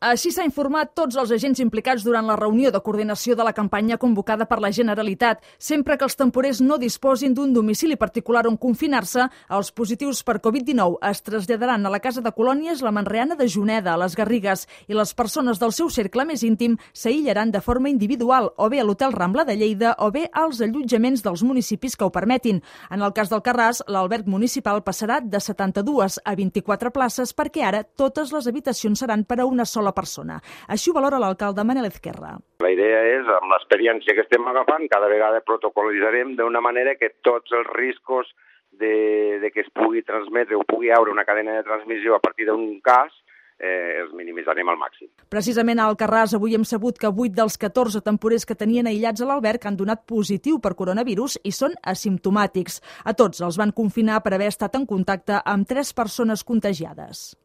Així s'ha informat tots els agents implicats durant la reunió de coordinació de la campanya convocada per la Generalitat. Sempre que els temporers no disposin d'un domicili particular on confinar-se, els positius per Covid-19 es traslladaran a la Casa de Colònies La Manreana de Juneda, a les Garrigues, i les persones del seu cercle més íntim s'aïllaran de forma individual, o bé a l'Hotel Rambla de Lleida, o bé als allotjaments dels municipis que ho permetin. En el cas d'Alcarràs, l'alberg municipal passarà de 72 a 24 places perquè ara totes les habitacions seran per a una sola persona. Així ho valora l'alcalde Manel Ezquerra. La idea és, amb l'experiència que estem agafant, cada vegada protocolitzarem d'una manera que tots els riscos de que es pugui transmetre o pugui haure una cadena de transmissió a partir d'un cas els minimitzarem al màxim. Precisament a Alcarràs avui hem sabut que 8 dels 14 temporers que tenien aïllats a l'alberg han donat positiu per coronavirus i són asimptomàtics. A tots els van confinar per haver estat en contacte amb 3 persones contagiades.